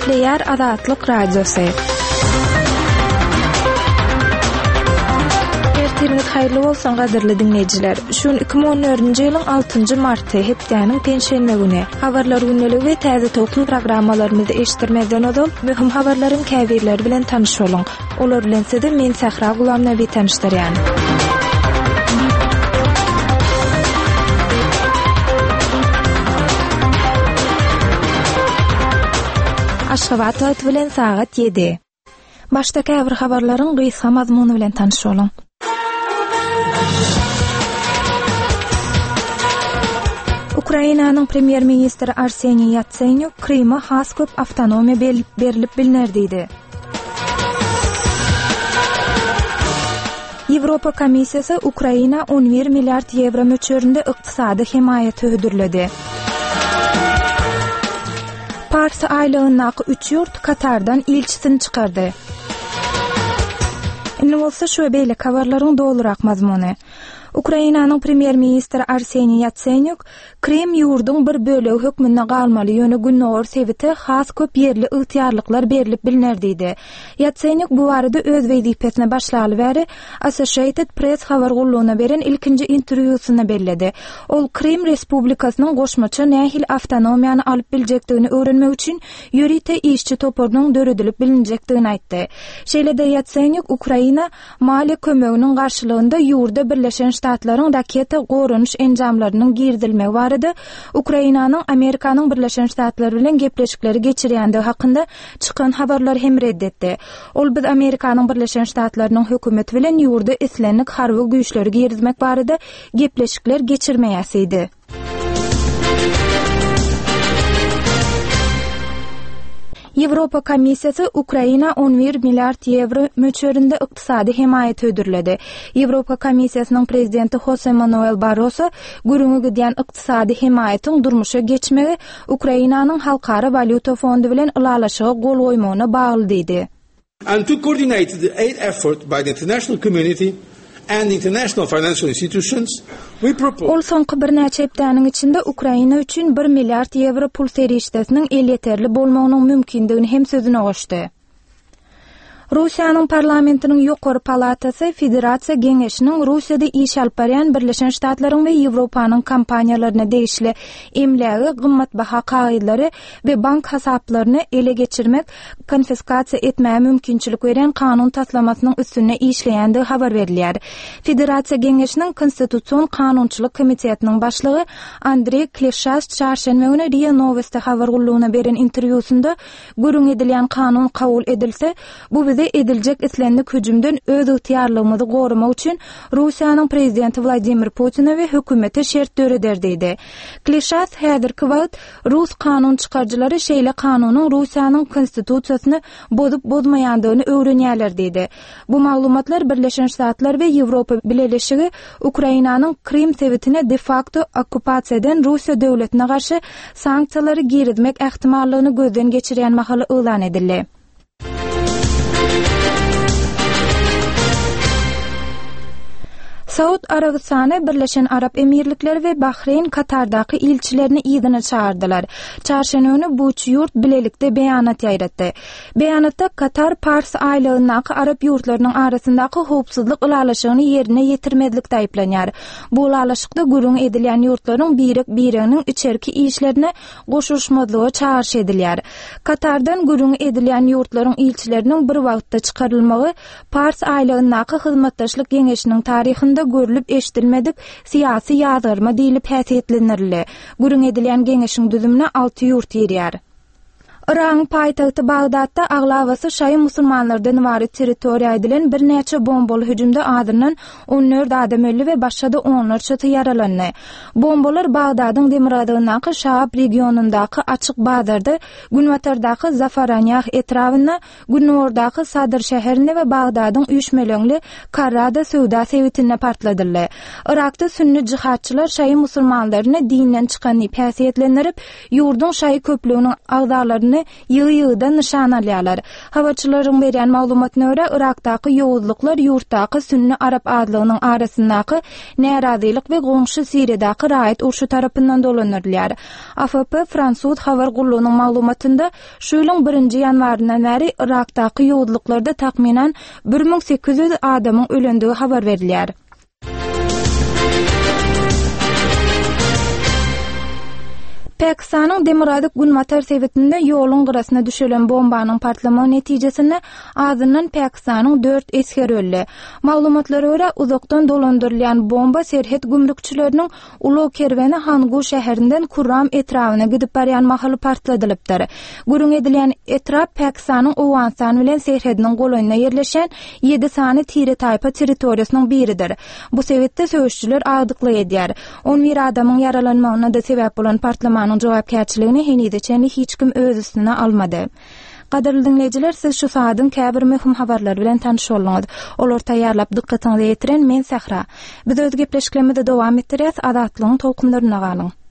Gepleýär Azatlyk Radiosy. Ertiriňiz haýyrly bolsun gadyrly diňleýjiler. Şu gün 2014-nji ýylyň 6-njy marty, hepdäniň penşenbe güni. Habarlar gündeligi we Täze tolkun programmalarymyzy eşitdirmezden ozal, möhüm habarlaryň käbirleri bilen tanyş boluň. Olar bilen sizi men Sähra Gulamnabi tanyşdyrýan. Aşgabat wagty bilen sagat 7. Başda käbir habarlaryň gysga mazmuny bilen tanyş boluň. Ukrainanyň premýer-ministri Arseniý Ýatsenýuk Kryma has köp awtonomiýa berlip bilner diýdi. Ýewropa Komissiýasy Ukraina 11 milliard ýewro möçberinde ykdysady hemaýaty hödürledi. Pars aýlagyndaky üç ýurt Katardan ilçisini çykardy. Indi bolsa şu we beýleki habarlaryň dolurak mazmuny. Ukrainanyň premýer-ministri Arseniý Ýatsenýuk Krym ýurduň bir bölegi hökmünde galmaly, ýöne gündogar sebite has köp ýerli ygtyýarlyklar berlip bilner diýdi. Ýatsenýuk bu barada öz wezipesine başlaly bäri Associated Press habar gullugyna beren ilkinji interwýusynda belledi. Ol Krym respublikasynyň goşmaça nähili awtonomiýany alyp biljekdigini öwrenmek üçin ýörite işçi toparynyň döredilip bilinjekdigini aýtdy. Şeýle-de Ýatsenýuk Ukraina Maliýe kömeginiň garşylygynda ýurda Birleşen Ştatlaryň raketa goranyş enjamlarynyň girizilmegi barada Ukrainanyň Amerikanyň Birleşen Ştatlary bilen gepleşikleri geçirýändigi hakynda çykan habarlary hem red etdi. Ol biz Amerikanyň Birleşen Ştatlarynyň hökümeti bilen ýurda islendik harby güýçleri girizmek barada gepleşikler geçirmeýäs diýdi. Ýewropa Komissiýasy Ukraina 11 milliard ýewro möçberinde ykdysady hemaýat hödürledi. Ýewropa Komissiýasynyň prezidenti Hose Manuel Barroso gürrüňi gidýän ykdysady hemaýatyň durmuşa geçmegi Ukrainanyň Halkara walýuta fondy bilen ylalaşyga gol goýmagyna bagly diýdi. And to coordinate the aid effort by the international community and international financial institutions, we propose. Ol soňky birnäçe hepdäniň içinde Ukraina üçin bir milliard ýewro pul serişdesiniň elýeterli bolmagynyň mümkindigini hem sözüne goşdy. Russiýanyň parlamentiniň ýokary palatasy Federasiýa Geňeşiniň Russiýada iş alyp barýan Birleşen Ştatlaryň we Ýewropanyň kompaniýalaryna degişli emlägi, gymmatbaha kagyzlary we bank hasaplaryny ele geçirmek, konfiskasiýa etmäge mümkinçilik berýän kanun taslamasynyň üstünde işleýändigi habar berilýär. Federasiýa Geňeşiniň Konstitusion kanunçylyk komitetiniň başlygy Andreý Klişas çarşenbe güni RIA Nowosti habar gullugyna beren interwýusynda gürrüňi edilýän kanun kabul edilse, bu bize ediljek islendik hüjümden özygtyýarlygymyzy goramak üçin Russiýanyň prezidenti Wladimir Putine we hökümete şert döreder diýdi. Klişas häzirki wagt Rus kanun çykaryjylary şeýle kanunyň Russiýanyň Konstitusiýasyny bozup-bozmaýandygyny öwrenýärler diýdi. Bu maglumatlar Birleşen Ştatlar we Ýewropa Bileleşigi Ukrainanyň Krym sebitine de-fakto okkupasiýa eden Russiýa döwletine garşy sanksiýalary girizmek ähtimallygyny gözden geçirýän mahaly yglan edildi. Saud Arabystany, Birleşen Arap Emirlikleri we Bahreýn Katardaky ilçilerini yzyna çagyrdylar. Çarşenbe güni bu üç ýurt bilelikde beýanat ýaýratdy. Beýanatda Katar Pars aýlagyndaky arap ýurtlarynyň arasyndaky howpsuzlyk ylalaşygyny ýerine ýetirmezlikde aýyplanýar. Bu ylalaşykda gürrüňi edilýän ýurtlaryň birek-bireginiň içerki işlerine goşulyşmazlyga çagyryş edilýär. Katardan gürrüňi edilýän ýurtlaryň ilçileriniň bir wagtda çykarylmagy Pars aýlagyndaky Hyzmatdaşlyk Geňeşiniň taryhynda görlüp-eşidilmedik syýasy ýazgarma diýlip häsiýetlendirildi. Gürrüňi edilýän geňeşiň düzümine alty ýurt girýär. Yragyň paýtagty Bagdatda aglabasy şaýy musulmanlardan ybarat territoriýa edilen birnäçe bombaly hüjümde azyndan 14 adam öldi we başga-da onlarçasy ýaralandy. Bombalar Bagdadyň demirgazygyndaky Şaab regionyndaky açyk bazarda, günbatardaky Zafaranýah etrabynda, gündogardaky Sadr şäherinde we Bagdadyň üýşmeleňli Karrada söwda sebitinde partladyldy. Yrakda sünni jihadçylar şaýy musulmanlaryny dinden çykan diýip häsiýetlendirip, ýurduň şaýy köplüginiň agzalaryny. binalaryny ýygy-ýygydan nyşana alýarlar. Habarçylaryň berýän maglumatyna görä, Yrakdaky ýowuzlyklar ýurtdaky sünni arap azlygynyň arasyndaky närazylyk we goňşy Siriýadaky raýat urşy tarapyndan dolandyrylýar. AFP fransuz habar gullugynyň maglumatynda, şu ýylyň birinji ýanwaryndan bäri Yrakdaky ýowuzlyklarda takmynan 1800 adamyň ölendigi habar berilýär. Pakistanyň demirgazyk-günbatar sebitinde ýoluň gyrasyna düşelen bombanyň partlamagy netijesinde azyndan Pakistanyň dört esgeri öldi. Maglumatlara görä, uzakdan dolandyrylýan bomba serhet gümrükçileriniň Ulag kerweni Hangu şäherinden Kurram etrabyna gidip barýan mahaly partladylypdyr. Gürrüň edilýän etrap Pakistanyň Owganystan bilen serhediniň golaýynda ýerleşýän ýedi sany tire-taýpa territoriýasynyň biridir. Bu sebitde söweşijiler agdyklyk edýär. On bir adamyň ýaralanmagyna-da sebäp bolan partlamanyň jogapkärçiligini henize çenli hiç kim öz üstüne almady. Gadyrly diňleýjiler, siz şu sagadyň käbir möhüm habarlary bilen tanyş bolduňyz. Olary taýýarlap dykgatyňyza ýetiren men Sähra. Biz öz gepleşiklerimizi dowam etdirýäs, Azatlygyň tolkunlarynda galyň.